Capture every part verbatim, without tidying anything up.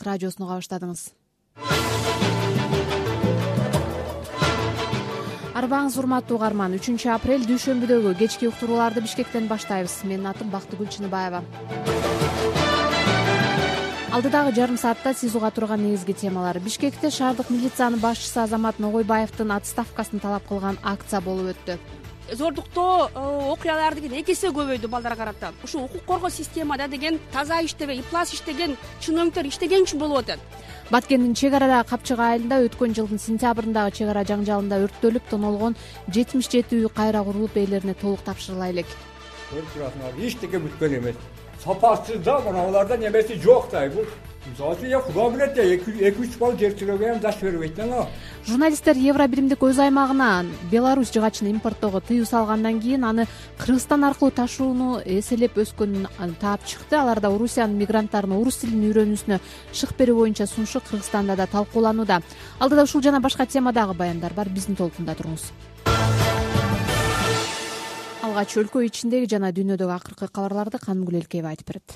радиосун уга баштадыңыз. Арбаңыз урматтуу угарман. үчүнчү апрель дүйшөмбүдөгү кечки уктурууларды Бишкектен баштайбыз. Менин атым Бактыгүл Чыныбаева. Алдыдагы жарым саатта сиз уга турган негизги темалар. Бишкекте шаардык милициянын башчысы Азамат Ногойбаевдин отставкасын талап кылган акция болуп өттү. Зордуктоо окуялар деген эки эсе көбөйдү балдарга карата. Ушу укук коргоо системада деген таза иштебей, ыплас иштеген чиновниктер иштеген үчүн болуп атат. Баткендин чек арадагы Капчык айылында өткөн жылдын сентябрындагы чек ара жаңжалында өрттөлүп тонолгон жетимиш жети үй кайра курулуп ээлерине толук тапшырыла элек. Көрүп турасыңар, эчтеке бүткөн эмес. Сапасыз да, мыналарда немеси жок да. Бул мисалы үчүн Кудай билет, эки үч балл жер тирөөгө даш бербейт да. Журналисттер Евро биримдик өз аймагына Беларусь жыгачын импорттоого тыюу салгандан кийин аны Кыргызстан аркылуу ташууну эселеп өскөнүн таап чыкты. Аларда Орусиянын мигранттарына орус тилин үйрөнүүсүнө шык берүү боюнча сунушу Кыргызстанда да талкууланууда. Алдыда ушул жана башка темадагы баяндар бар. Биздин толкунда туруңуз. Алгач өлкө ичиндеги жана дүйнөдөгү акыркы кабарларды Канымгүл Элкеева айтып берет.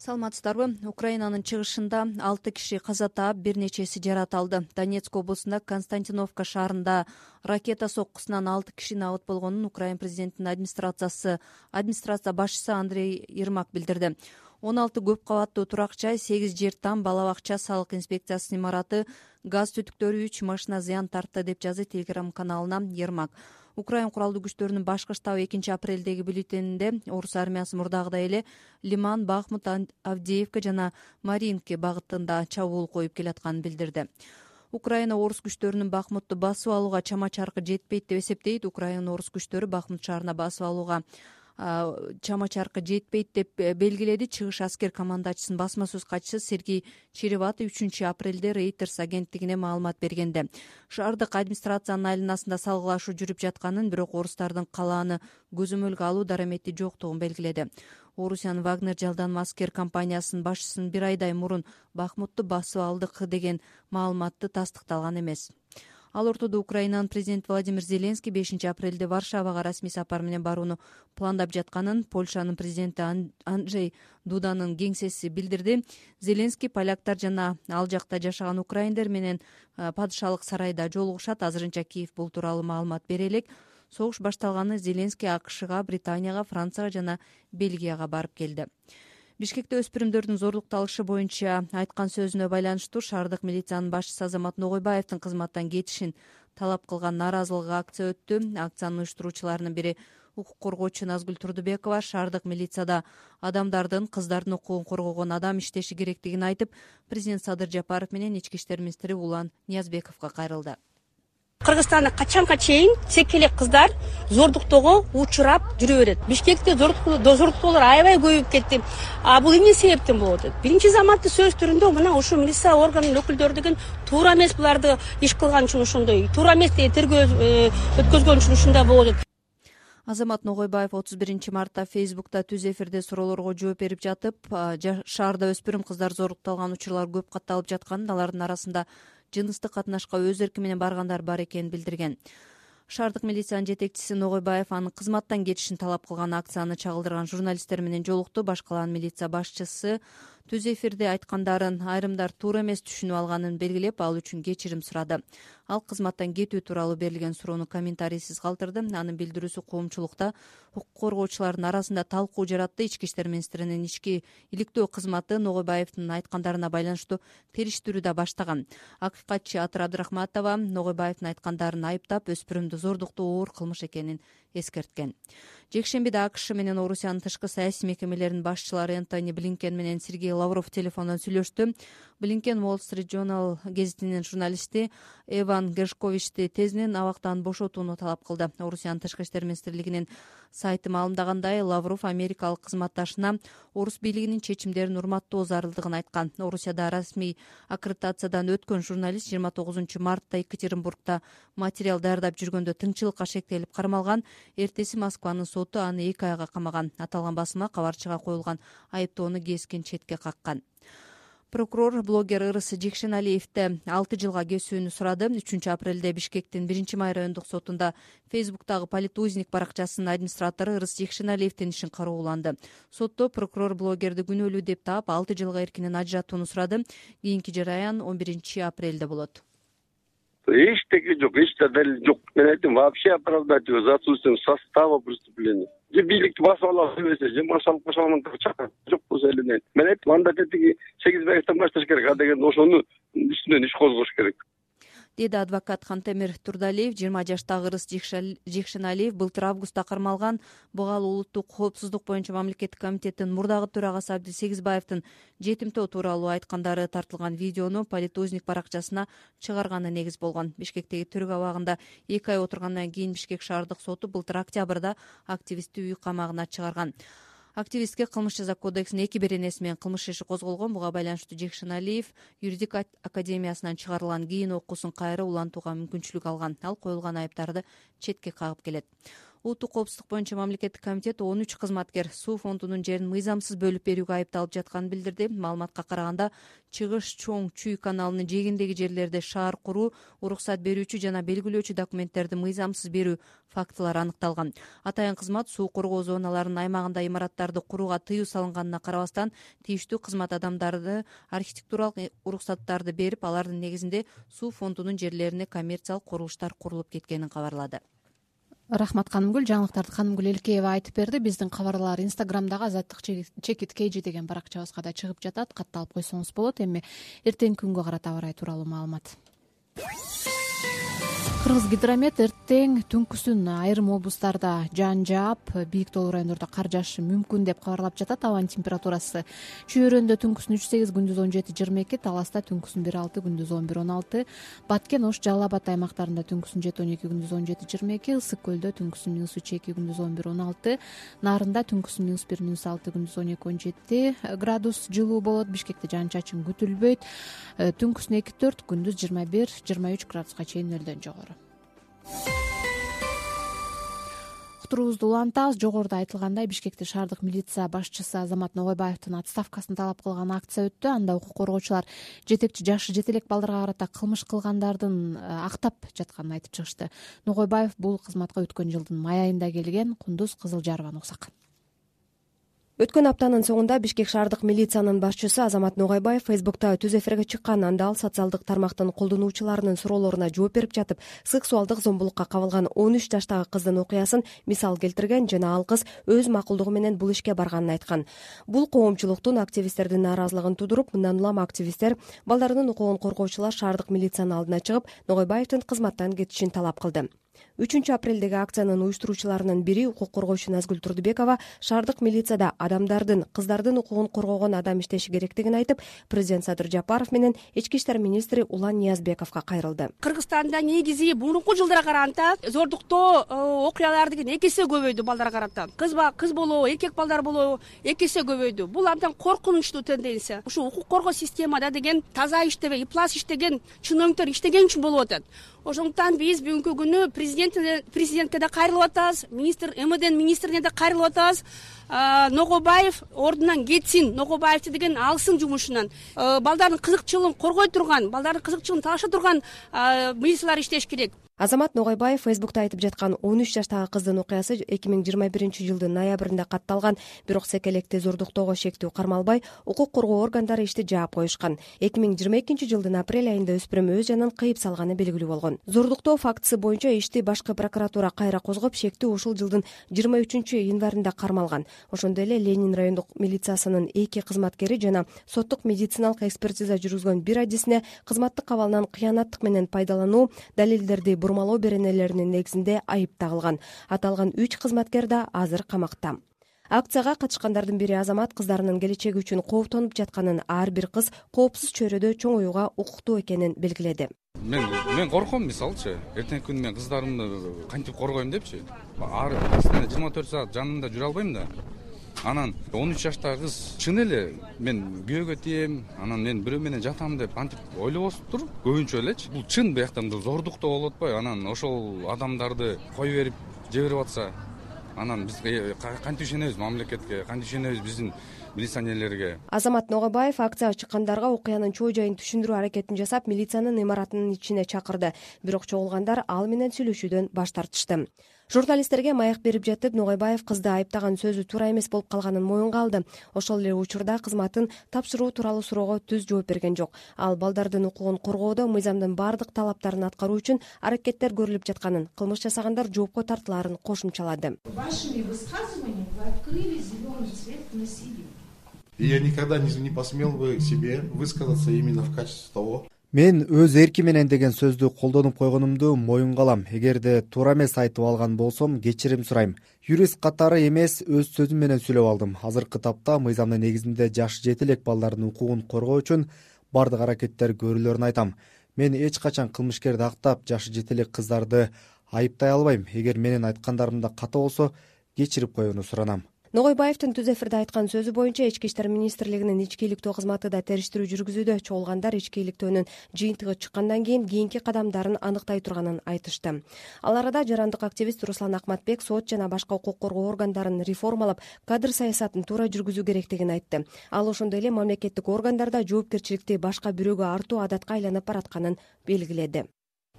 Саламатсыздарбы? Украинанын чыгышында алты киши каза таап, бир нечеси жарат алды. Донецк облусунда Константиновка шаарында ракета соккусунан алты киши набыт болгонун Украин президентинин администрациясы администрация башчысы Андрей Ермак билдирди. он алты көп кабаттуу турак жай, сегиз жер там, бала бакча, салык инспекциясынын имараты, газ түтүктөрү, үч машина зыян тартты деп жазды Телеграм каналына Ермак. Украин куралдуу күчтөрүнүн башкы штабы экинчи апрелдеги бюллетенинде орус армиясы мурдагыдай эле Лиман, Бахмут, Авдеевка жана Маринки багытында чабуул коюп келатканын билдирди. Украина орус күчтөрүнүн Бахмутту басып алууга чама-чаркы жетпейт деп эсептейт. Украина орус күчтөрү Бахмут шаарына басып алууга чама-чаркы жетпейт деп белгиледи. Чыгыш аскер командачысынын басма сөз катчысы Сергей Череватый үчүнчү апрелде Reuters агенттигине маалымат бергенде шаардык администрациянын айланасында салгылашуу жүрүп жатканын, бирок орустардын калааны көзөмөлгө алуу дарамети жоктугун белгиледи. Орусиянын Вагнер жалданма аскер компаниясынын башчысынын бир айдай мурун Бахмутту басып алдык деген маалыматты тастыкталган эмес. Ал ортодо Украинанын президенти Владимир Зеленский бешинчи апрелде Варшавага расмий сапар менен барууну пландап жатканын Польшанын президенти Анджей Дуданын кеңсеси билдирди. Зеленский поляктар жана ал жакта жашаган украиндер менен падышалык сарайда жолугушат. Азырынча Киев бул тууралуу маалымат бере элек. Согуш башталганы Зеленский АКШга, Британияга, Францияга жана Бельгияга барып келди. Бишкекте өспүрүмдөрдүн зорлукталышы боюнча айткан сөзүнө байланыштуу шаардык милициянын башчысы Азамат Ногойбаевдин кызматтан кетишин талап кылган нааразылык акция өттү. Акциянын уюштуруучуларынын бири укук коргоочу Назгүл Турдубекова шаардык милицияда адамдардын, кыздардын укугун коргогон адам иштеши керектигин айтып, президент Садыр Жапаров менен ички иштер министри Улан Ниязбековго кайрылды. Кыргызстанда качанга чейин секелек кыздар зордуктоого учурап жүрө берет. Бишкекте зордуктоолор аябай көбөйүп кетти. А бул эмне себептен болуп атат? Биринчи заматты сөз түрүндө мына ушу милиция органынын өкүлдөрү деген туура эмес, буларды иш кылган үчүн ошондой, туура эмес тергөө өткөзгөн үчүн ушундай болуп атат. Азамат Ногойбаев отуз биринчи мартта Фейсбукта түз эфирде суроолорго жооп берип жатып, шаарда өспүрүм кыздар зордукталган учурлар көп катталып жатканын, алардын арасында жыныстык катнашка өз эрки менен баргандар бар экенин билдирген. Шаардык милициянын жетекчиси Ногойбаев анын кызматтан кетишин талап кылган акцияны чагылдырган журналисттер менен жолукту. Башкалан милиция башчысы түз эфирде айткандарын айрымдар туура эмес түшүнүп алганын белгилеп, ал үчүн кечирим сурады. Ал кызматтан кетүү тууралуу берилген суроону комментарийсиз калтырды. Анын билдирүүсү коомчулукта укук коргоочулардын арасында талкуу жаратты. Ички иштер министринин ички иликтөө кызматы Ногойбаевдин айткандарына байланыштуу териштирүү да баштаган. Акыйкатчы Атыр Абдрахматова Ногойбаевдин айткандарын айыптап, өспүрүмдү зордуктоо оор кылмыш экенин эскерткен. Жекшембиде АКШ менен Орусиянын тышкы саясий мекемелеринин башчылары Энтони Блинкен менен Сергей Лавров телефондон сүйлөштү. Блинкен Wall Street Journal гезитинин журналисти Эван Гершковичти тезинен абактан бошотууну талап кылды. Орусиянын тышкы иштер министрлигинин сайты маалымдагандай, Лавров америкалык кызматташына орус бийлигинин чечимдерин урматтоо зарылдыгын айткан. Орусияда расмий аккредитациядан өткөн журналист жыйырма тогузунчу мартта Екатеринбургда материал даярдап жүргөндө тыңчылыкка шектелип кармалган. Эртеси Москванын соту аны эки айга камаган. Аталган басма кабарчыга коюлган айыптоону кескин четке каккан. Прокурор блогер Ырыс Жекшеналиевди алты жылга кесүүнү сурады. үчүнчү апрелде Бишкектин биринчи май райондук сотунда Фейсбуктагы Политузник баракчасынын администратору Ырыс Жекшеналиевдин ишин карооланды. Сотто прокурор блогерди күнөөлүү деп таап алты жылга эркинен ажыратууну сурады. Кийинки жараян он биринчи апрелде болот. Эчтеке жок, эч далил жок. Мен айттым, вообще оправдать его за отсутствием состава преступления. Же бийликти басып алабыз дебесе, же машалып кошонгондор чакырып жок болсо эле. Мен айттым, анда тетиги сегиз баевден башташ керек, а деген ошону үстүнөн иш козгош керек. Деди адвокат Хантемир Турдалиев. жыйырма жаштагы Ырыс Жекшеналиев былтыр августта кармалган. Буга улуттук коопсуздук боюнча мамлекеттик комитеттин мурдагы төрагасы Абдисегизбаевдин жетимтөө тууралуу айткандары тартылган видеону Политузник баракчасына чыгарганы негиз болгон. Бишкектеги түрк абагында эки ай отургандан кийин Бишкек шаардык соту былтыр октябрда активистти үй камагына чыгарган. Активистке кылмыш жаза кодексинин эки беренеси менен кылмыш иши козголгон. Буга байланыштуу Жекшеналиев юридик академиясынан чыгарылган кийин окуусун кайра улантууга мүмкүнчүлүк алган. Ал коюлган айыптарды четке кагып келет. Улуттук коопсуздук боюнча мамлекеттик комитет он үч кызматкер суу фондунун жерин мыйзамсыз бөлүп берүүгө айыпталып жатканын билдирди. Маалыматка караганда Чыгыш Чоң Чүй каналынын жээгиндеги жерлерде шаар куруу, уруксат берүүчү жана белгилөөчү документтерди мыйзамсыз берүү фактылары аныкталган. Атайын кызмат суу коргоо зоналарынын аймагында имараттарды курууга тыюу салынганына карабастан тийиштүү кызмат адамдарды архитектуралык уруксаттарды берип, алардын негизинде суу фондунун жерлерине коммерциялык курулуштар курулуп кеткенин кабарлады. Рахмат Канымгүл. Жаңылыктарды Канымгүл Элкеева айтып берди. Биздин кабарлар Инстаграмдагы Азаттык чекит кейжи деген баракчабызга да чыгып жатат. Катталып койсоңуз болот. Эми эртеңки күнгө карата аба ырайы тууралуу маалымат. Кыргызгидромет эртең түнкүсүн айрым облустарда жаан жаап, бийик тоолуу райондордо кар жаашы мүмкүн деп кабарлап жатат. Абанын температурасы Чүйөрөндө түнкүсүн үч сегиз, күндүз он жети жыйырма эки, Таласта түнкүсүн бир алты, күндүз он бир он алты, Баткен, Ош, Жалал Абад аймактарында түнкүсүн жети он эки, күндүз он жети жыйырма эки, Ысык көлдө түнкүсүн минус үч эки, күндүз он бир он алты, Нарында түнкүсүн минус бир минус алты, күндүз он эки он жети градус жылуу болот. Бишкекте жаан чачын күтүлбөйт. Түнкүсүн эки төрт, күндүз жыйырма бир жыйырма үч градуска чейин нөлдөн жогору. Уктуруубузду улантабыз. Жогоруда айтылгандай, Бишкекте шаардык милиция башчысы Азамат Ногойбаевдин отставкасын талап кылган акция өттү. Анда укук коргоочулар жетекчи жашы жети элек балдарга карата кылмыш кылгандардын актап жатканын айтып чыгышты. Ногойбаев бул кызматка өткөн жылдын май айында келген. Кундуз Кызылжарованы уксак. Өткөн аптанын соңунда Бишкек шаардык милициянын башчысы Азамат Ногойбаев Фейсбукта түз эфирге чыккан. Анда ал социалдык тармактын колдонуучуларынын суроолоруна жооп берип жатып, сексуалдык зомбулукка кабылган он үч жаштагы кыздын окуясын мисал келтирген жана ал кыз өз макулдугу менен бул ишке барганын айткан. Бул коомчулуктун, активисттердин нааразылыгын тудуруп, мындан улам активисттер балдарынын укугун коргоочулар шаардык милициянын алдына чыгып, Ногойбаевдин кызматтан кетишин талап кылды. үчүнчү апрелдеги акциянын уюштуруучуларынын бири укук коргоочу Назгүл Турдубекова шаардык милицияда адамдардын, кыздардын укугун коргогон адам иштеши керектигин айтып, президент Садыр Жапаров менен ички иштер министри Улан Ниязбековго кайрылды. Кыргызстанда негизи мурунку жылдарга караганда зордуктоо окуялар деген эки эсе көбөйдү балдарга карата. Кыз кыз болобу, эркек балдар болобу эки эсе көбөйдү. Бул абдан коркунучтуу тенденция. Ушу укук коргоо системада деген таза иштебей, ыплас иштеген чиновниктер иштеген үчүн болуп атат. Ошондуктан биз бүгүнкү күнү президент президентке да кайрылып атабыз, министр МВДнин министрине да кайрылып атабыз. Ногойбаев ордунан кетсин, Ногойбаевди деген алсын жумушунан. Балдардын кызыкчылыгын коргой турган, балдардын кызыкчылыгын талаша турган милициялар иштеш керек. Азамат Ногойбаев Фейсбукта айтып жаткан он үч жаштагы кыздын окуясы эки миң жыйырма биринчи жылдын ноябрында катталган, бирок секелекти зордуктоого шектүү кармалбай, укук коргоо органдары ишти жаап коюшкан. эки миң жыйырма экинчи жылдын апрель айында өспүрүм өз жанын кыйып салганы белгилүү болгон. Зордуктоо фактысы боюнча ишти башкы прокуратура кайра козгоп, шектүү ушул жылдын жыйырма үчүнчү январында кармалган. Ошондой эле Ленин райондук милициясынын эки кызматкери жана соттук медициналык экспертиза жүргүзгөн бир адисине кызматтык абалынан кыянаттык менен пайдалануу, далилдерди бурмалоо беренелеринин негизинде айып тагылган. Аталган үч кызматкер да азыр камакта. Акцияга катышкандардын бири Азамат кыздарынын келечеги үчүн кооптонуп жатканын, ар бир кыз коопсуз чөйрөдө чоңоюуга укуктуу экенин белгиледи. Мен мен корком, мисалчы, эртеңки күнү мен кыздарымды кантип коргойм депчи. Ар жыйырма төрт саат жанында жүрө албайм да. Анан он үч жаштагы кыз чын эле мен күйөөгө тием, анан мен бирөө менен жатам деп антип ойлобосуптур көбүнчө элечи. Бул чын бияктан зордуктоо болуп атпайбы? Анан ошол адамдарды кое берип жиберип атса, анан биз кантип ишенебиз мамлекетке, кантип ишенебиз биздин милиционерлерге. Азамат Ногобаев акцияга чыккандарга окуянын чоо жайын түшүндүрүү аракетин жасап, милициянын имаратынын ичине чакырды. Бирок чогулгандар ал менен сүйлөшүүдөн баш тартышты. Журналисттерге маек берип жатып, Ногобаев кызды айыптаган сөзү туура эмес болуп калганын моюнга алды. Ошол эле учурда кызматын тапшыруу тууралуу суроого түз жооп берген жок. Ал балдардын укугун коргоодо мыйзамдын бардык талаптарын аткаруу үчүн аракеттер көрүлүп жатканын, кылмыш жасагандар жоопко тартылаарын кошумчалады. Вашими высказываниями вы открыли зеленый цвет к насилию. Я никогда не посмел бы себе высказаться именно в качестве того. Мен өз эрки менен деген сөздү колдонуп койгонумду моюнга алам. Эгерде туура эмес айтып алган болсом, кечирим сурайм. Юрист катары эмес, өз сөзүм менен сүйлөп алдым. Азыркы тапта мыйзамдын негизинде жашы жете элек балдардын укугун коргоо үчүн бардык аракеттер көрүлөрүн айтам. Мен эч качан кылмышкерди актап, жашы жете элек кыздарды айыптай албайм. Эгер менин айткандарымда ката болсо, кечирип коюуну суранам. Ногойбаевдин түз эфирде айткан сөзү боюнча Ички иштер министрлигинин ички иликтөө кызматы да териштирүү жүргүзүүдө. Чогулгандар ички иликтөөнүн жыйынтыгы чыккандан кийин кийинки кадамдарын аныктай турганын айтышты. Ал арада жарандык активист Руслан Акматбек сот жана башка укук коргоо органдарын реформалап, кадр саясатын туура жүргүзүү керектигин айтты. Ал ошондой эле мамлекеттик органдарда жоопкерчиликти башка бирөөгө артуу адатка айланып баратканын белгиледи.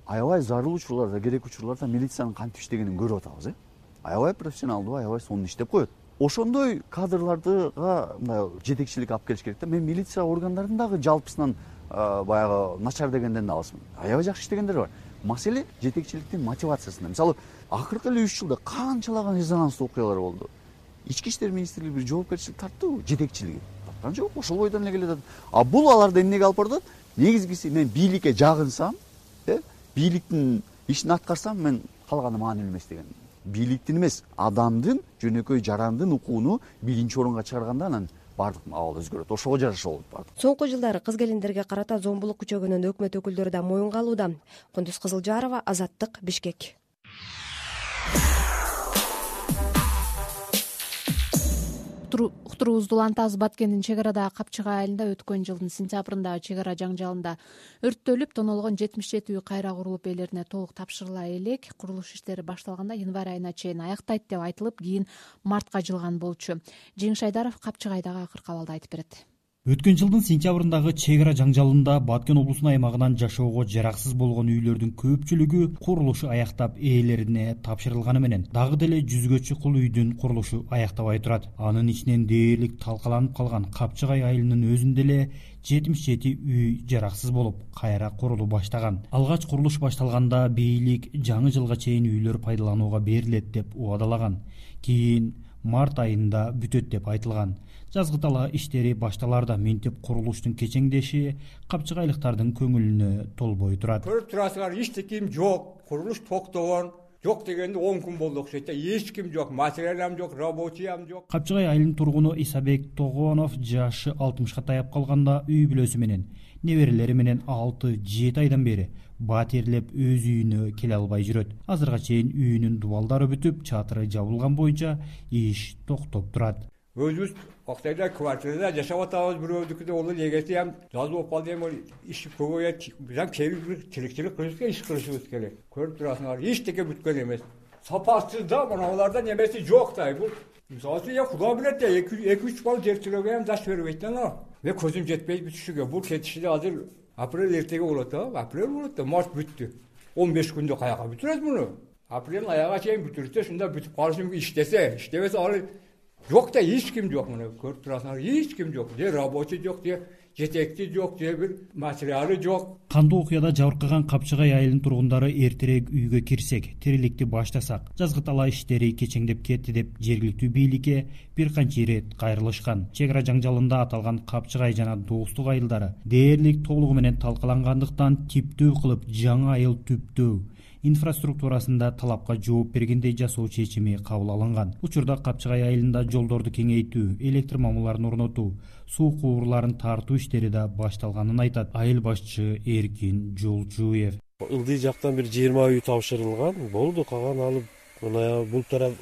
Аябай зарыл учурларда, керек учурларда милициянын кантип иштегенин көрүп атабыз, э? Аябай профессионалдуу, аябай сонун иштеп коет. Ошондой кадрлардыга мындай жетекчилик алып келиш керек да. Мен милиция органдарынын дагы жалпысынан баягы начар дегенден алысмын. Аябай жакшы иштегендер бар. Маселе жетекчиликтин мотивациясында. Мисалы, акыркы эле үч жылда канчалаган резонанстуу окуялар болду. Ички иштер министрлиги бир жоопкерчилик тарттыбы жетекчилиги? Тарткан жок, ошол бойдон эле келатат. А бул аларды эмнеге алып барат? Негизгиси мен бийликке жагынсам, э, бийликтин ишин аткарсам, мен калганы маанилүү эмес деген. Бийликтин эмес, адамдын, жөнөкөй жарандын укугуну биринчи орунга чыгарганда анан бардык абал өзгөрөт. Ошого жараша болот бардык. Соңку жылдары кыз келиндерге карата зомбулук күчөгөнүн өкмөт өкүлдөрү да моюнга алууда. Кундуз Кызылжарова, Азаттык, Бишкек. Уктуруубузду улантабыз. Баткендин чек арада Капчыгай айылында өткөн жылдын сентябрында чек ара жаңжалында өрттөлүп, тонолгон жетимиш жети үй кайра курулуп элдерине толук тапшырыла элек. Курулуш иштери башталганда январь айына чейин аяктайт деп айтылып, кийин мартка жылган болчу. Жеңиш Айдаров Капчыгайдагы акыркы абалды айтып берет. Өткөн жылдын сентябрындагы чек ара жаңжалында Баткен облусунун аймагынан жашоого жараксыз болгон үйлөрдүн көпчүлүгү курулушу аяктап ээлерине тапшырылганы менен дагы деле жүзгө чукул үйдүн курулушу аяктабай турат. Анын ичинен дээрлик талкаланып калган Капчыгай айылынын өзүндө эле жетимиш жети үй жараксыз болуп, кайра курулуу баштаган. Алгач курулуш башталганда бийлик жаңы жылга чейин үйлөр пайдаланууга берилет деп убадалаган. Кийин март айында бүтөт деп айтылган. Жазгы тала иштери башталарда мынтип курулуштун кечеңдеши капчыгайлыктардын көңүлүнө толбой турат. Көрүп турасыңар, эчтеким жок, курулуш токтогон. Жок дегенде он күн болду окшойт. Эч ким жок, материалам жок, рабочий ам жок. Капчыгай айылынын тургуну Исабек Тогонов жашы алтымышка таяп калганда үй бүлөсү менен, неберелери менен алты жети айдан бери батирлеп өз үйүнө келе албай жүрөт. Азырга чейин үйүнүн дубалдары бүтүп, чатыры жабылган боюнча иш токтоп турат. Өзүбүз Октайда квартирада жашап атабыз, бирөөдүкүдө ол эгеси ham жазып болуп калды, эми иш көбөйөт. Биз келип тирикчилик кылышыбыз, иш кылышыбыз керек. Көрүп турасыңар, эчтеке бүткөн эмес. Сапасыз да, мыналарда немеси жок да. Бул мисалы я куда билет да, эки үч бал жер тирөөгө ham даш бербейт да. Мен көзүм жетпейт бүтүшүгө. Бул кетишиде азыр апрель эртеге болот да. Апрель болот да, март бүттү. он беш күндө каяка бүтүрөт муну? Апрелдин аяга чейин бүтүрсө, шунда бүтүп калышы мүмкүн, иштесе, иштебесе ал жок да, эч ким жок муну. Көрүп турасыңар, эч ким жок. Же рабочий жок, же жетекчи жок, же бир материалы жок. Кандуу окуяда жабыркаган Капчыгай айылынын тургундары эртерээк үйгө кирсек, тириликти баштасак, жазгы тала иштери кечеңдеп кетти деп жергиликтүү бийликке бир канча ирет кайрылышкан. Чек ара жаңжалында аталган Капчыгай жана Достук айылдары дээрлик толугу менен талкалангандыктан типтөө кылып жаңы айыл түптөө инфраструктурасында талапка жооп бергендей жасоо чечими кабыл алынган. Учурда Капчыгай айылында жолдорду кеңейтүү, электр мамыларын орнотуу, суу кубурларын тартуу иштери да башталганын айтат айыл башчы Эркин Жолчуев. Ылдый жактан бир жыйырма үй тапшырылган болду, калган алып мына бул тарап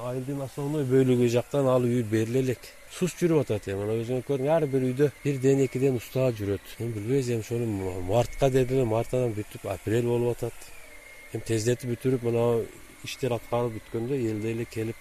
айылдын основной бөлүгү жактан ал үй бериле элек. Сус жүрүп атат эми, мына өзүңөр көрүң, ар бир үйдө бирден экиден уста жүрөт. Эми билбейбиз, эми ошону мартка дедилер, мартадан бүтүп апрель болуп атат. Эми тездетип бүтүрүп, мына иштер аткарылып бүткөндө элде эле келип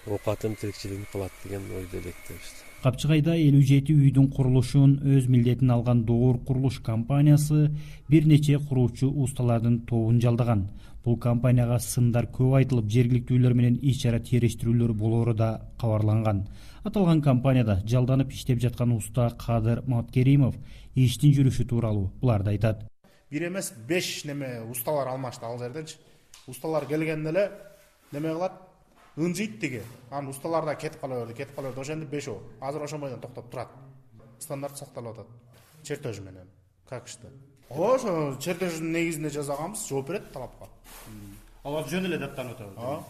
оокатын, тирикчилигин кылат деген ойдо электебиз. Капчыгайда элүү жети үйдүн курулушун өз милдетине алган Доор курулуш компаниясы бир нече куруучу усталардын тобун жалдаган. Бул компанияга сындар көп айтылып, жергиликтүүлөр менен иш чара териштирүүлөр болоору да кабарланган. Аталган компанияда жалданып иштеп жаткан уста Кадыр Маткеримов иштин жүрүшү тууралуу буларды айтат. Бир эмес беш неме усталар алмашты ал жерденчи. Усталар келгенде эле неме кылат? Ынжыйт деге. Анан усталар да кетип кала берди, кетип кала берди. Ошондо бешөө. Азыр ошон бойдон токтоп турат. Стандарт сакталып атат. Чертеж менен. Как иште? Ошо чертеждин негизинде жасаганбыз, жооп берет талапка. Алар жөн эле даттанып атат.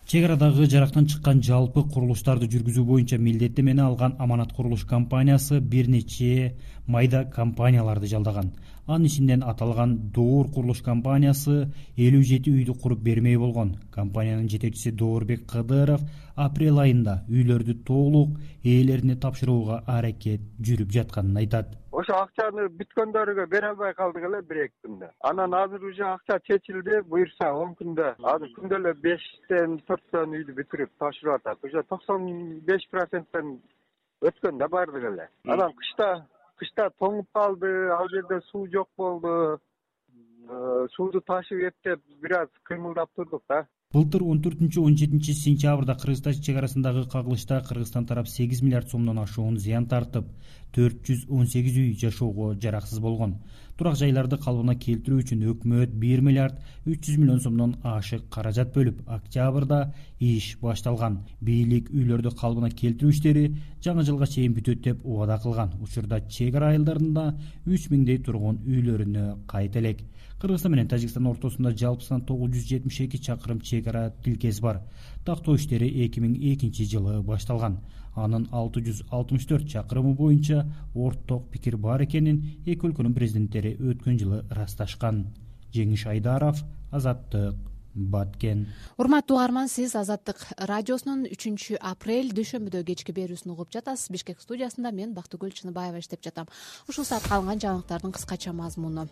Чек арадагы жарактан чыккан жалпы курулуштарды жүргүзүү боюнча милдеттенмени алган Аманат курулуш компаниясы бир нече майда компанияларды жалдаган. Анын ичинен аталган Доор курулуш компаниясы элүү жети үйдү куруп бермей болгон. Компаниянын жетекчиси Доорбек Кадыров апрель айында үйлөрдү толук ээлерине тапшырууга аракет жүрүп жатканын айтат. Ошо акчаны бүткөндөргө бере албай калдык эле бир эки күндө. Анан азыр уже акча чечилди, буюрса он күндө. Азыр күндө эле бештен төрттөн үйдү бүтүрүп тапшырып атат. Уже токсон беш проценттен өткөн да бардык эле. Анан кышта кышта тоңуп калды, ал жерде суу жок болду. Сууду ташып эптеп бир аз кыймылдап турдук да. Былтыр он төртүнчү он жетинчи сентябрда Кыргызстан чек арасындагы кагылышта Кыргызстан тарап сегиз миллиард сомдон ашуун зыян тартып, төрт жүз он сегиз үй жашоого жараксыз болгон. Турак жайларды калыбына келтирүү үчүн өкмөт бир миллиард үч жүз миллион сомдон ашык каражат бөлүп, октябрда иш башталган. Бийлик үйлөрдү калыбына келтирүү иштери жаңы жылга чейин бүтөт деп убада кылган. Учурда чек ара айылдарында үч миңдей тургун үйлөрүнө кайта элек. Кыргызстан менен Тажикстан ортосунда жалпысынан тогуз жүз жетимиш эки чакырым чек ара тилкеси бар. Тактоо иштери эки миң экинчи жылы башталган. Анын алты жүз алтымыш төрт чакырымы боюнча орток пикир бар экенин эки өлкөнүн президенттери өткөн жылы ырасташкан. Жеңиш Айдаров, Азаттык, Баткен. Урматтуу угарман, сиз Азаттык радиосунун үчүнчү апрель дүйшөмбүдө кечки берүүсүн угуп жатасыз. Бишкек студиясында мен Бактыгүл Чыныбаева иштеп жатам. Ушул саатка алынган жаңылыктардын кыскача мазмуну.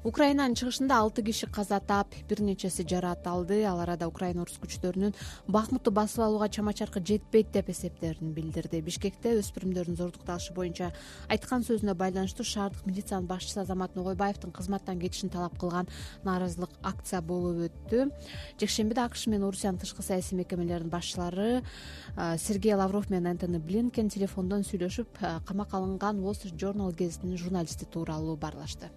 Украинанын чыгышында алты киши каза таап, бир нечеси жараат алды. Ал арада Украина орус күчтөрүнүн Бахмутты басып алууга чама-чаркы жетпейт деп эсептерин билдирди. Бишкекте өспүрүмдөрдүн зордукталышы боюнча айткан сөзүнө байланыштуу шаардык милициянын башчысы Азамат Ногойбаевдин кызматтан кетишин талап кылган нааразылык акция болуп өттү. Жекшембиде АКШ менен Орусиянын тышкы саясий мекемелеринин башчылары Сергей Лавров менен Антони Блинкен телефондон сүйлөшүп, камакка алынган Wall Street Journal гезитинин журналисти тууралуу баарлашты.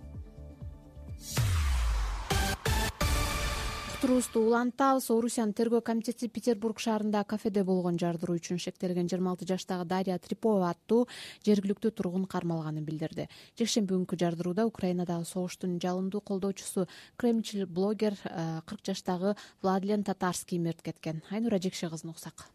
Уктуруубузду улантабыз. Орусиянын тергөө комитети Петербург шаарында кафеде болгон жардыруу үчүн шектелген жыйырма алты жаштагы Дарья Трипова аттуу жергиликтүү тургун кармалганын билдирди. Жекшемби күнкү жардырууда Украинадагы согуштун жалындуу колдоочусу Кремчил блогер кырк жаштагы Владлен Татарский мерт кеткен. Айнура Жекше кызын уксак.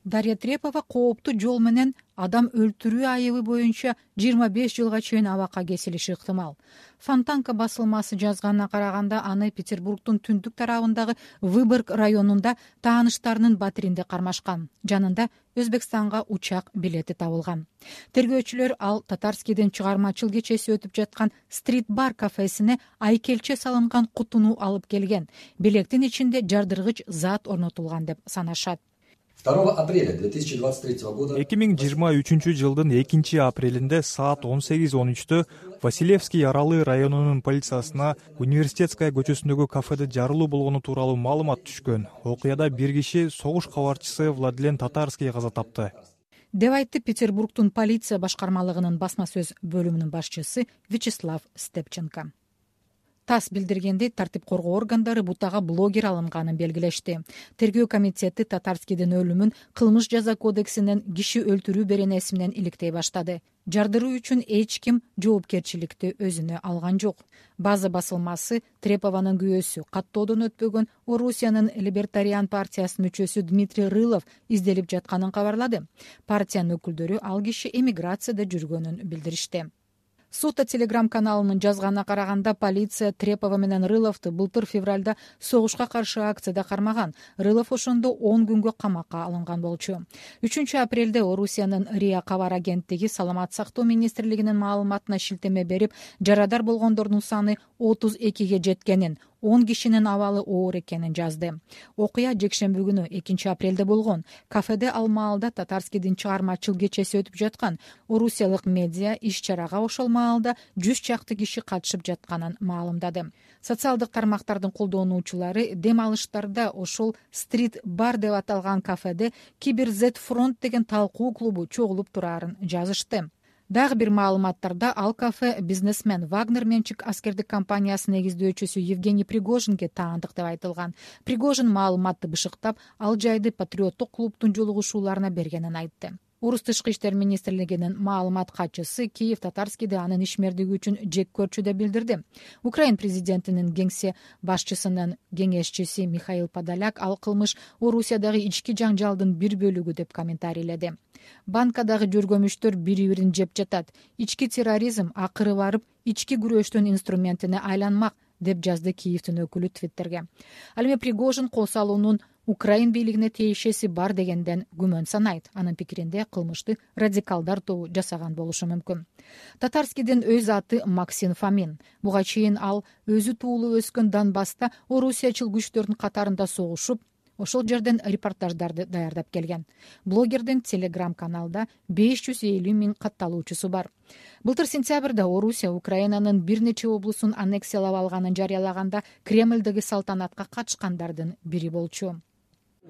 Дарья Трипова кооптуу жол менен адам өлтүрүү айыбы боюнча жыйырма беш жылга чейин абакка кесилиши ыктымал. Фонтанка басылмасы жазганына караганда, аны Петербургдун түндүк тарабындагы Выборг районунда тааныштарынын батиринде кармашкан. Жанында Өзбекстанга учак билети табылган. Тергөөчүлөр ал Татарскийдин чыгармачыл кечеси өтүп жаткан стрит-бар кафесине айкелче салынган кутуну алып келген. Белектин ичинде жардыргыч зат орнотулган деп санашат. второго апреля две тысячи двадцать третьего года эки миң жыйырма үчүнчү жылдын экинчи апрелинде саат он сегиз он үчтө Василевский Аралы районунун полициясына Университетская көчөсүндөгү кафеде жарылуу болгону тууралуу маалымат түшкөн. Окуяда бир киши согуш кабарчысы Владлен Татарский каза тапты деп айтты Петербургдун полиция башкармалыгынын басма сөз бөлүмүнүн башчысы Вячеслав Степченко. ТАСС билдиргендей, тартип коргоо органдары бутага блогер алынганын белгилешти. Тергөө комитети Татарскийдин өлүмүн кылмыш жаза кодексинен киши өлтүрүү беренеси менен иликтей баштады. Жардыруу үчүн эч ким жоопкерчиликти өзүнө алган жок. База басылмасы Трепованын күйөөсү, каттоодон өтпөгөн Орусиянын Либертариан партиясынын мүчөсү Дмитрий Рылов изделип жатканын кабарлады. Партиянын өкүлдөрү ал киши эмиграцияда жүргөнүн билдиришти. Сота телеграм каналынын жазганына караганда, полиция Трепова менен Рыловду былтыр февралда согушка каршы акцияда кармаган. Рылов ошондо он күнгө камакка алынган болчу. үчүнчү апрелде Орусиянын РИА кабар агенттиги Саламат сактоо министрлигинин маалыматына шилтеме берип, жарадар болгондордун саны отуз экиге жеткенин, он кишинин абалы оор экенин жазды. Окуя жекшемби күнү экинчи апрелде болгон. Кафеде ал маалда Татарскийдин чыгармачыл кечеси өтүп жаткан. Орусиялык медиа иш-чарага ошол маалда жүз чакты киши катышып жатканын маалымдады. Социалдык тармактардын колдонуучулары дем алыштарда ошол стрит бар деп аталган кафеде Кибер Z фронт деген талкуу клубу чогулуп турарын жазышты. Дагы бир маалыматтарда ал кафе бизнесмен Вагнер менчик аскердик компаниясынын негиздөөчүсү Евгений Пригожинге таандык деп айтылган. Пригожин маалыматты бышыктап, ал жайды патриоттук клубдун жолугушууларына бергенин айтты. Орус тышкы иштер министрлигинин маалымат катчысы Киев Татарскийди анын ишмердиги үчүн жек көрчү деп билдирди. Украин президентинин кеңсе башчысынын кеңешчиси Михаил Подоляк ал кылмыш Орусиядагы ички жаңжалдын бир бөлүгү деп комментарийледи. Банкадагы жөргөмүчтөр бири-бирин жеп жатат. Ички терроризм акыры барып ички күрөштүн инструментине айланмак деп жазды Киевдин өкүлү Твиттерге. Ал эми Пригожин кол салуунун Украин бийлигине тиешеси бар дегенден күмөн санайт. Анын пикиринде кылмышты радикалдар тобу жасаган болушу мүмкүн. Татарскийдин өз аты Максим Фомин. Буга чейин ал өзү туулуп өскөн Донбасста орусиячыл күчтөрдүн катарында согушуп, ошол жерден репортаждарды даярдап келген. Блогердин телеграм-каналда беш жүз элүү миң катталуучусу бар. Былтыр сентябрда Орусия Украинанын бир нече облусун аннексиялап алганын жарыялаганда Кремлдеги салтанатка катышкандардын бири болчу.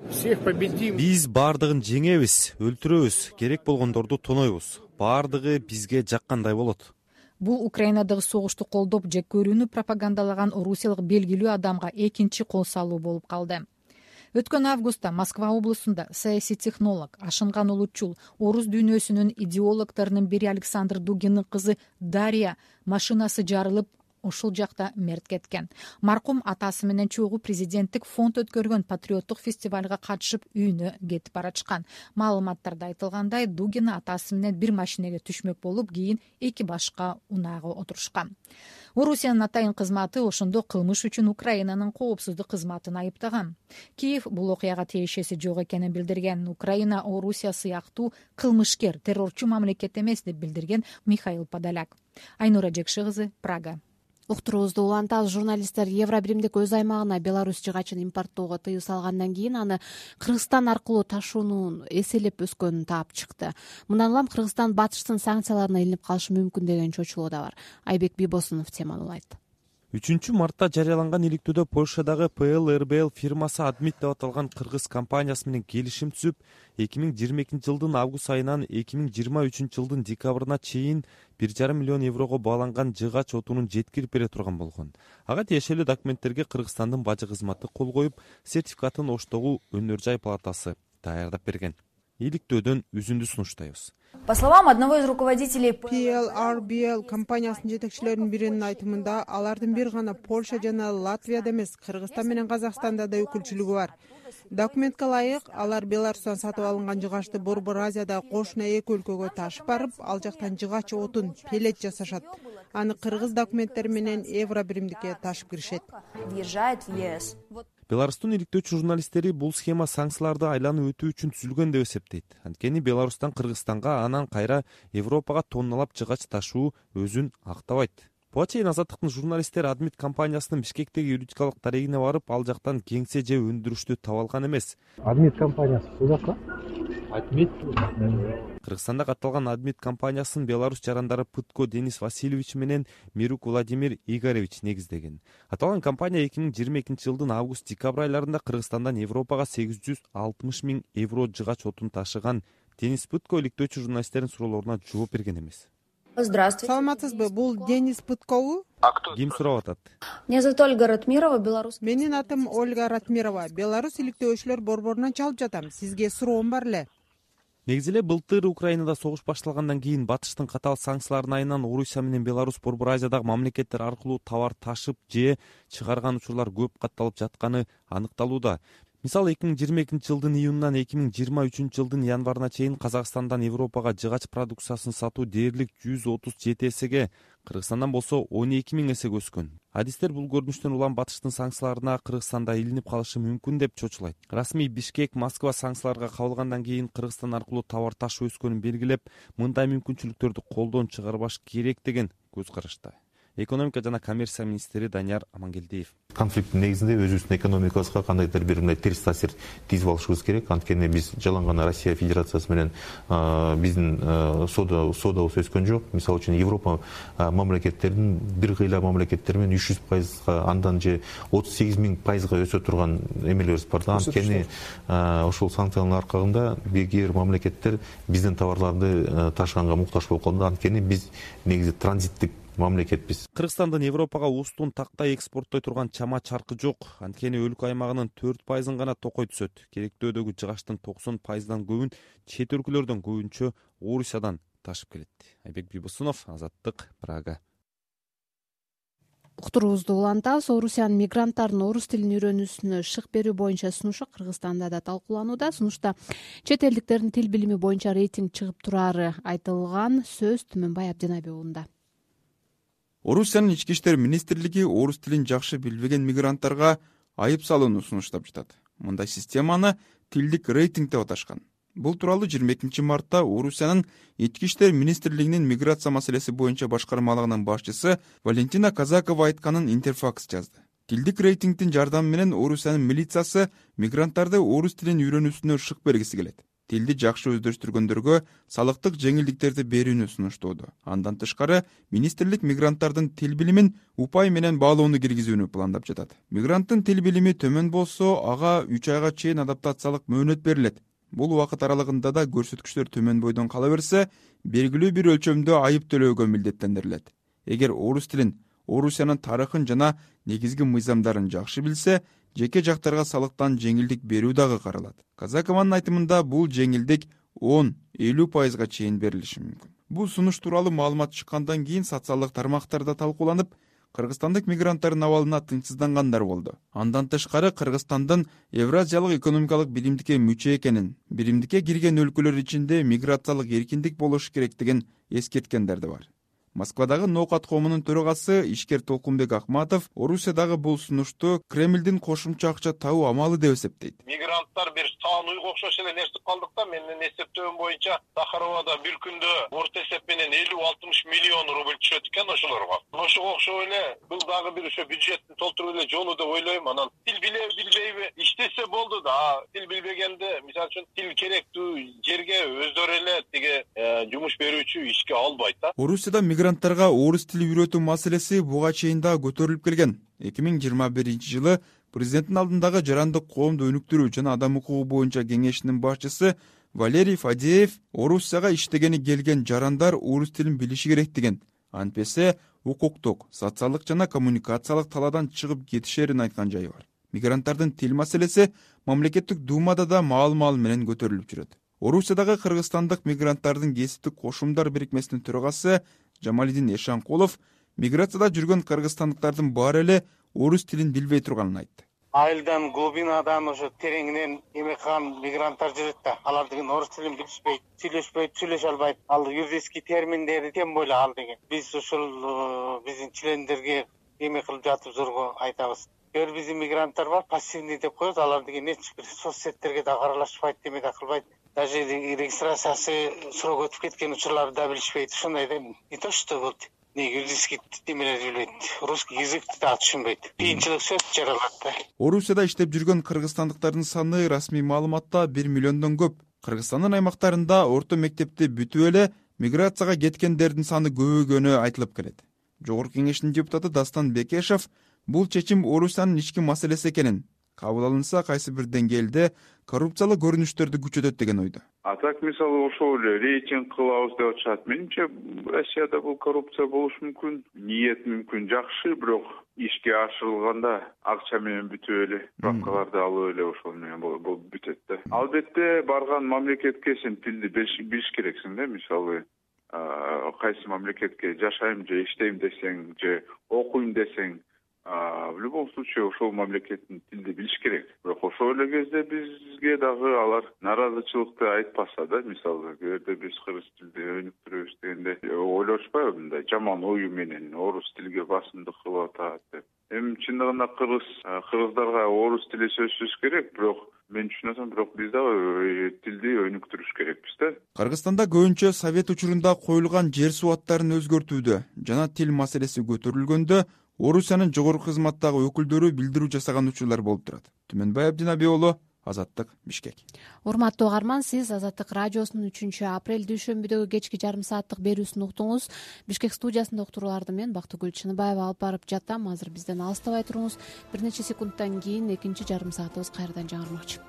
Биз баардыгын жеңебиз, өлтүрөбүз, керек болгондорду тонойбуз. Баардыгы бизге жаккандай болот. Бул Украинадагы согушту колдоп, жек көрүүнү пропагандалаган орусиялык белгилүү адамга экинчи кол салуу болуп калды. Өткөн августта Москва облусунда саясий технолог, ашынган улутчул, орус дүйнөсүнүн идеологторунун бири Александр Дугиндин кызы Дарья машинасы жарылып, ошол жакта мерт кеткен. Маркум атасы менен чогуу президенттик фонд өткөргөн патриоттук фестивалга катышып үйүнө кетип баратышкан. Маалыматтарда айтылгандай, Дугин атасы менен бир машинеге түшмөк болуп, кийин эки башка унаага отурушкан. Орусиянын атайын кызматы ошондо кылмыш үчүн Украинанын коопсуздук кызматын айыптаган. Киев бул окуяга тиешеси жок экенин билдирген. Украина Орусия сыяктуу кылмышкер, террорчу мамлекет эмес деп билдирген Михаил Подоляк. Айнура Жекши кызы, Прага. Уктуруубузду улантабыз. Журналисттер Евро биримдик өз аймагына Беларусь жыгачын импорттоого тыюу салгандан кийин аны Кыргызстан аркылуу ташуунун эселеп өскөнүн таап чыкты. Мындан улам Кыргызстан батыштын санкцияларына илинип калышы мүмкүн деген чочулоо да бар. Айбек Бибосунов темалуулайт. үчүнчү мартта жарыяланган иликтөөдө Польшадагы П Л Р Б Л фирмасы Адмит деп аталган кыргыз компаниясы менен келишим түзүп, эки миң жыйырма экинчи жылдын август айынан эки миң жыйырма үчүнчү жылдын декабрына чейин бир жарым миллион еврого бааланган жыгач отунун жеткирип бере турган болгон. Ага тиешелүү документтерге Кыргызстандын бажы кызматы кол коюп, сертификатын Оштогу Өнөр жай палатасы даярдап берген. Иликтөөдөн үзүндү сунуштайбыз. По словам одного из руководителей П Л Р Б Л компаниясынын жетекчилеринин биринин айтымында, алардын бир гана Польша жана Латвияда эмес, Кыргызстан менен Казакстанда да өкүлчүлүгү бар. Документке ылайык, алар Беларустан сатып алынган жыгачты Борбор Азиядагы кошуна эки өлкөгө ташып барып, ал жактан жыгач отун, пелет жасашат. Аны кыргыз документтери менен Евро биримдикке ташып киришет. въезжает в Е С. Беларустун иликтөөчү журналисттери бул схема санкцияларды айланып өтүү үчүн түзүлгөн деп эсептейт. Анткени Беларустан Кыргызстанга, анан кайра Европага тонналап жыгач ташуу өзүн актабайт. Буга чейин Азаттыктын журналисттери Адмит компаниясынын Бишкектеги юридикалык дарегине барып, ал жактан кеңсе же өндүрүштү таба алган эмес. Адмит компаниясы бул жакка? Адмит. Кыргызстанда катталган Адмит компаниясын Беларусь жарандары Пытко Денис Васильевич менен Мирук Владимир Игоревич негиздеген. Аталган компания эки миң жыйырма экинчи жылдын август-декабрь айларында Кыргызстандан Европага сегиз жүз алтымыш миң евро жыгач отун ташыган. Денис Пытко иликтөөчү журналисттердин суроолоруна жооп берген эмес. Здравствуйте. Саламатсызбы? Бул Денис Пыткобу? Ким сурап атат? Меня зовут Ольга Ратмирова, Беларусь. Менин атым Ольга Ратмирова. Беларусь иликтөөчүлөр борборунан чалып жатам. Сизге суроом бар эле. Негизи эле былтыр Украинада согуш башталгандан кийин батыштын катаал санкцияларынын айынан Орусия менен Беларусь Борбор Азиядагы мамлекеттер аркылуу товар ташып же чыгарган учурлар көп катталып жатканы аныкталууда. Мисалы эки миң жыйырма экинчи жылдын июнунан эки миң жыйырма үчүнчү жылдын январына чейин Казакстандан Европага жыгач продукциясын сатуу дээрлик жүз отуз жети эсеге, Кыргызстандан болсо он эки миң эсеге өскөн. Адистер бул көрүнүштөн улам батыштын санкцияларына Кыргызстанда илинип калышы мүмкүн деп чочулайт. Расмий Бишкек Москва санкцияларга кабылгандан кийин Кыргызстан аркылуу товар ташуу өскөнүн белгилеп, мындай мүмкүнчүлүктөрдү колдон чыгарбаш керек деген көз карашта. экономика жана коммерция министри Данияр Амангелдиев. Конфликттин негизинде өзүбүздүн экономикабызга кандайдыр бир мындай терс таасир тийгизип алышыбыз керек. Анткени биз жалаң гана Россия Федерациясы менен биздин соода соодабыз өскөн жок. Мисалы үчүн Европа мамлекеттеринин бир кыйла мамлекеттер менен үч жүз пайызга андан же отуз сегиз миң пайызга өсө турган эмелерибиз бар да. Анткени ошол санкциянын аркагында бир мамлекеттер биздин товарларды ташыганга муктаж болуп калды. Анткени биз негизи транзиттик мамлекетпиз. Кыргызстандын Европага устун тактай экспорттой турган чама чаркы жок. Анткени өлкө аймагынын төрт пайызын гана токой түзөт. Керектөөдөгү жыгачтын токсон пайыздан көбүн чет өлкөлөрдөн, көбүнчө Орусиядан ташып келет. Айбек Бибусунов, Азаттык, Прага. Уктуруубузду улантабыз. Орусиянын мигранттардын орус тилин үйрөнүүсүнө шык берүү боюнча сунушу Кыргызстанда да талкууланууда. Сунушта чет элдиктердин тил билими боюнча рейтинг чыгып турары айтылган. Сөз Түмөнбай Абдинаби уулунда. Орусиянын ички иштер министрлиги орус тилин жакшы билбеген мигранттарга айып салууну сунуштап жатат. Мындай системаны тилдик рейтинг деп аташкан. Бул тууралуу жыйырма экинчи мартта Орусиянын ички иштер министрлигинин миграция маселеси боюнча башкармалыгынын башчысы Валентина Казакова айтканын Интерфакс жазды. Тилдик рейтингдин жардамы менен Орусиянын милициясы мигранттарды орус тилин үйрөнүүсүнө шык бергиси келет. Тилди жакшы өздөштүргөндөргө салыктык жеңилдиктерди берүүнү сунуштоодо. Андан тышкары министрлик мигранттардын тил билимин упай менен баалоону киргизүүнү пландап жатат. Мигранттын тил билими төмөн болсо, ага үч айга чейин адаптациялык мөөнөт берилет. Бул убакыт аралыгында да көрсөткүчтөр төмөн бойдон кала берсе, белгилүү бир өлчөмдө айып төлөөгө милдеттендирилет. Эгер орус тилин, Орусиянын тарыхын жана негизги мыйзамдарын жакшы билсе, жеке жактарга салыктан жеңилдик берүү дагы каралат. Казакованын айтымында бул жеңилдик он элүү пайызга чейин берилиши мүмкүн. Бул сунуш тууралуу маалымат чыккандан кийин социалдык тармактарда талкууланып, кыргызстандык мигранттардын абалына тынчсыздангандар болду. Андан тышкары Кыргызстандын Евразиялык экономикалык биримдикке мүчө экенин, биримдикке кирген өлкөлөр ичинде миграциялык эркиндик болушу керектигин эскерткендер да бар. Москвадагы Ноокат коомунун төрагасы ишкер Толкунбек Акматов Орусиядагы бул сунушту Кремлдин кошумча акча табуу амалы деп эсептейт. Мигранттар бир саан уйга окшош эле нерсе калдык да, менин эсептөөм боюнча Сахаровада бир күндө орто эсеп менен элүү алтымыш миллион рубль түшөт экен ошолорго. Ошого окшоп эле бул дагы бир ошо бюджеттин толтуруп эле жолу деп ойлойм. Анан тил биле билбейби иштесе болду да. Тил билбегенде, мисалы үчүн, тил керектүү жерге өздөрү эле тиги жумуш берүүчү ишке албайт да. Орусияда мигранттарга орус тили үйрөтүү маселеси буга чейин да көтөрүлүп келген. эки миң жыйырма биринчи жылы президенттин алдындагы жарандык коомду өнүктүрүү жана адам укугу боюнча кеңешинин башчысы Валерий Фадеев Орусияга иштегени келген жарандар орус тилин билиши керек деген. Антпесе укуктук, социалдык жана коммуникациялык талаадан чыгып кетишерин айткан жайы бар. Мигранттардын тил маселеси мамлекеттик думада да маал-маал менен көтөрүлүп жүрөт. Орусиядагы кыргызстандык мигранттардын кесиптик кошумдар бирикмесинин төрагасы Жамалидин Эшанкулов миграцияда жүргөн кыргызстандыктардын баары эле орус тилин билбей турганын айтты. Айылдан, глубинадан, ошо тереңинен эме кылган мигранттар жүрөт да. Алар деген орус тилин билишпейт, сүйлөшпөйт, сүйлөшө албайт. Ал юридический терминдерди тем более ал деген. Биз ушул биздин члендерге эме кылып жатып зорго айтабыз. Көр биздин мигранттар бар, пассивный деп коебуз. Алар деген эч бир соцсеттерге да аралашпайт, эме да кылбайт. Даже регистрациясы срок өтүп кеткен учурларды да билишпейт. Ушундай да не то что вот не юридический темелерди билбейт, русский языкты да түшүнбөйт. Кыйынчылык сөз жаралат да. Орусияда иштеп жүргөн кыргызстандыктардын саны расмий маалыматта бир миллиондон көп. Кыргызстандын аймактарында орто мектепти бүтүп эле миграцияга кеткендердин саны көбөйгөнү айтылып келет. Жогорку кеңештин депутаты Дастан Бекешев бул чечим Орусиянын ички маселеси экенин, кабыл алынса кайсы бир деңгээлде коррупциялык көрүнүштөрдү күчөтөт деген ойдо. А так мисалы ошол эле рейтинг кылабыз деп атышат. Менимче Россияда бул коррупция болушу мүмкүн, ниет мүмкүн жакшы, бирок ишке ашырылганда акча менен бүтүп эле, правкаларды алып эле ошол менен болуп бүтөт да. Албетте барган мамлекетке сен тилди билиш керексиң да, мисалы кайсы мамлекетке жашайм же иштейм десең же окуйм десең, в любом случае ошол мамлекеттин тилди билиш керек. Бирок ошол эле кезде бизге дагы алар нааразычылыкты айтпаса да, мисалы кээде биз кыргыз тилди өнүктүрөбүз дегенде ойлошпайбы мындай жаман ою менен орус тилге басымдык кылып атат деп. Эми чындыгында кыргыз кыргыздарга орус тили сөзсүз керек, бирок мен түшүнөсөм, бирок биз дагы тилди өнүктүрүш керекпиз да. Кыргызстанда көбүнчө совет учурунда коюлган жер суу аттарын өзгөртүүдө жана тил маселеси көтөрүлгөндө Орусиянын жогорку кызматтагы өкүлдөрү билдирүү жасаган учурлар болуп турат. Түмөнбай Абдинаби уулу, Азаттык, Бишкек. Урматтуу угарман, сиз Азаттык радиосунун үчүнчү апрель дүйшөмбүдөгү кечки жарым сааттык берүүсүн уктуңуз. Бишкек студиясында уктурууларды мен Бактыгүл Чыныбаева алып барып жатам. Азыр бизден алыстабай туруңуз. Бир нече секундтан кийин экинчи жарым саатыбыз кайрадан жаңырмакчы.